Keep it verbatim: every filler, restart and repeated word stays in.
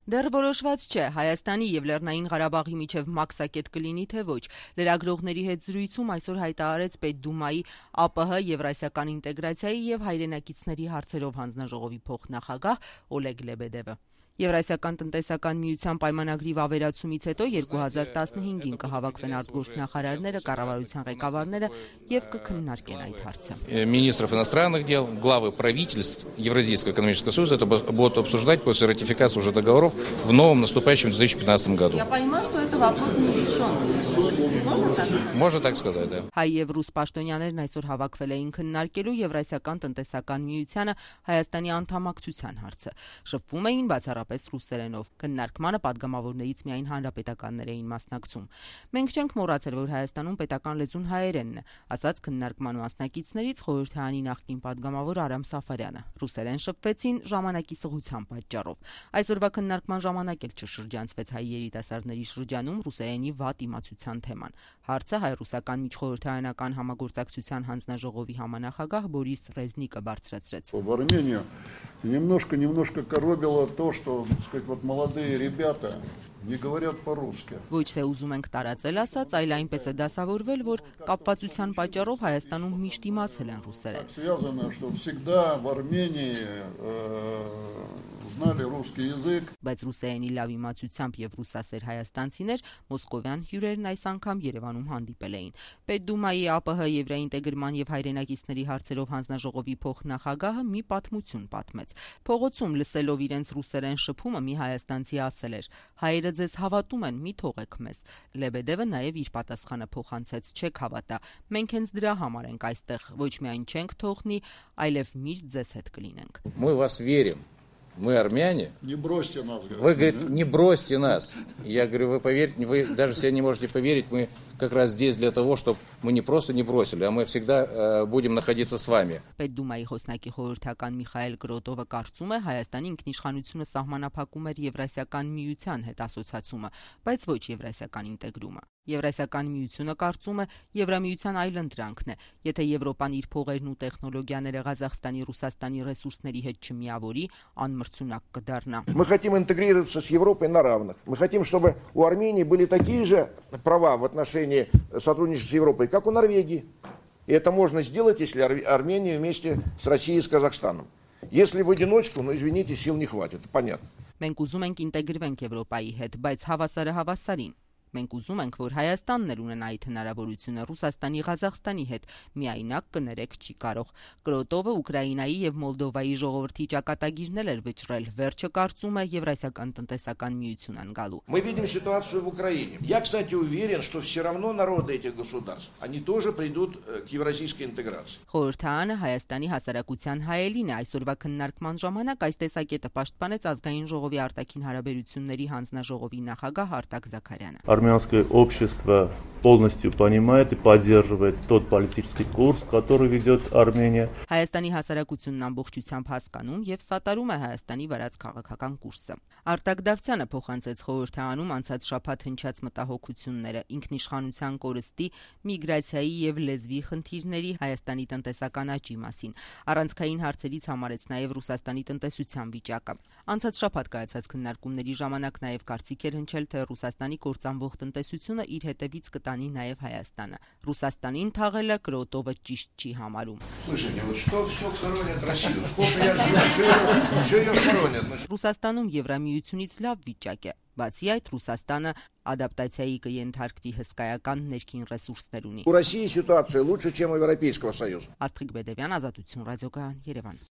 Դեռ որոշված չէ Հայաստանի եւ Լեռնային Ղարաբաղի միջև մաքսակետ կլինի թե ոչ։ Լրագրողների հետ զրույցում այսօր հայտարարեց Պետդումայի ԱՊՀ Եվրասիական ինտեգրացիայի եւ հայրենակիցների հարցերով հանձնաժողովի փոխնախագահ Օլեգ Լեբեդևը։ Եվրասիական տնտեսական միության պայմանագրի վավերացումից հետո երկու հազար տասնհինգին կհավաքվեն արտգործնախարարները, կառավարության ղեկավարները եւ կքննարկեն այդ հարցը։ Министров иностранных дел, главы правительств Евразийского экономического союза это будут обсуждать после ратификации уже договоров в новом наступающем две тысячи пятнадцатом году. Я понимаю, что это вопрос нерешенный. Можно так? Можно так сказать, да. Հայ եւ ռուս պաշտոնյաներն այսօր հավաքվել էին քննարկելու Եվրասիական տնտեսական միությանը Հայաստանի անդամակցության հարցը։ Շփվում էին բացառապես ռուսերենով։ Քննարկմանը падգամավորներից միայն հանրապետականներ էին մասնակցում։ Մենք չենք մոռացել, որ Հայաստանում պետական լեզուն հայերենն է, ասաց քննարկման մասնակիցներից խորհրդարանի նախկին падգամավոր Արամ Սաֆարյանը։ Ռուսերեն շփվեցին ժամանակի սղության պատճառով։ Այսօրվա քննարկման ժամանակ էլ չշրջանցվեց հայ երիտասարդների շրջանում ռուսերենի վատ իմացության թեման։ Հարցը հայ-ռուսական միջխորհրդարանական համագործակցության հանձնաժողովի համանախագահ Բորիս Ռեզնիկը բարձրացրեց։ В Армению немножко немножко коробило то, что, так сказать, вот молодые ребята не говорят по-русски. Ոչ թե ուզում ենք տարածել ասած, այլ այնպես է դասավորվել, որ կապվածության պատճառով Հայաստանում միշտ իմացել են ռուսերեն։ Связано, что всегда в Армении знали русский язык. Բայց ռուսերենի լավ իմացությամբ եւ ռուսասեր հայաստանցիներ մոսկովյան հյուրերն այս անգամ Երևանում հանդիպել էին։ Պետդումայի ԱՊՀ Եվրաինտեգրման եւ հայրենակիցների հարցերով հանձնաժողովի փոխնախագահը մի պատմություն պատմեց։ Փողոցում լսելով իրենց ռուսերեն շփումը մի հայաստանցի ասել էր. «Հայերը ձեզ հավատում են, մի թողեք մեզ»։ Լեբեդևը նաեւ իր պատասխանը փոխանցեց. «Չեք հավատա, մենք հենց դրա համար ենք այստեղ, ոչ միայն չենք թողնի, այլև միշտ ձեզ հետ կլինենք»։ Мы вас верим. Мы армяне. Не бросьте нас. Вы, говорит, не бросьте нас. Я говорю, вы поверьте, вы даже себе не можете поверить, мы как раз здесь для того, чтобы мы не просто не бросили, а мы всегда э, будем находиться с вами. Պետդումայի խոսնակի խորհրդական Միխայել Գրոտովը կարծում է Հայաստանի ինքնիշխանությունը սահմանափակում էր Եվրասիական միության հետ ասոցացումը, բայց ոչ Եվրասիական ինտեգրումը։ Եվրասիական միությունը կարծում է Եվրամիության այլընտրանքն է, եթե Եվրոպան իր փողերն ու տեխնոլոգիաները Ղազախստանի, Ռուսաստանի ռեսուրսների հետ չմիավորի, անմրցունակ կդառնա։ Мы хотим интегрироваться с Европой на равных. Мы хотим, чтобы у Армении были такие же права в отношении сотрудничества с Европой, как у Норвегии. И это можно сделать, если Армения вместе с Россией и с Казахстаном. Если в одиночку, ну извините, сил не хватит, понятно. Մենք ուզում ենք ինտեգրվենք Եվրոպայի հետ, բայց հավասարը հավասարին։ Մենք ուզում ենք, որ Հայաստանն էլ ունենա այդ հնարավորությունը Ռուսաստանի, Ղազախստանի հետ, միայնակ կներեք չի կարող։ Գրոտովը Ուկրաինայի եւ Մոլդովայի ժողովրդի ճակատագիրներ էր վճռել, վերջը կարծում է Եվրասիական տնտեսական միություն անգալու։ Мы видим ситуацию в Украине. Я, кстати, уверен, что все равно народы этих государств, они тоже придут к евразийской интеграции. Խորհրդարանը Հայաստանի հասարակության հայելին է այսօրվա քննարկման ժամանակ այս տեսակետը պաշտպանեց ազգային ժողովի արտաքին հարաբերությունների հանձնաժողովի նախագահ Արտակ Զաքարյանը։ Армянское общество полностью понимает и поддерживает тот политический курс, который ведет Армения. Հայաստանի հասարակությունն ամբողջությամբ հասկանում եւ սատարում է Հայաստանի վարած քաղաքական կուրսը։ Արտակ Դավթյանը փոխանցեց խորհրդարանում անցած շաբաթ հնչած մտահոգությունները ինքնիշխանության կորստի, միգրացիայի եւ լեզվի խնդիրների, Հայաստանի տնտեսական աճի մասին։ Առանցքային հարցերից համարեց նաեւ Ռուսաստանի տնտեսության վիճակը։ Անցած շաբաթ կայացած քննարկումների ժամանակ նաեւ կարծիք էր հնչել, թե Ռուսաստանի կործանվող տնտեսությունը իր հետևից կտանի նաեւ Հայաստանը։ Ռուսաստանին թաղելը Գրոտովը ճիշտ չի համարում։ Слушайте, вот что все хоронят Россию? Сколько я живу, все ее хоронят. Ռուսաստանում Եվրամիությունից լավ վիճակ է։ Բացի այդ, Ռուսաստանը ադապտացիայի կենթարկվի հսկայական ներքին ռեսուրսներ ունի։ У России ситуация лучше, чем у Европейского Союза. Աստղիկ Բեդևյան, Ազատություն ռադիոկայան, Երևան։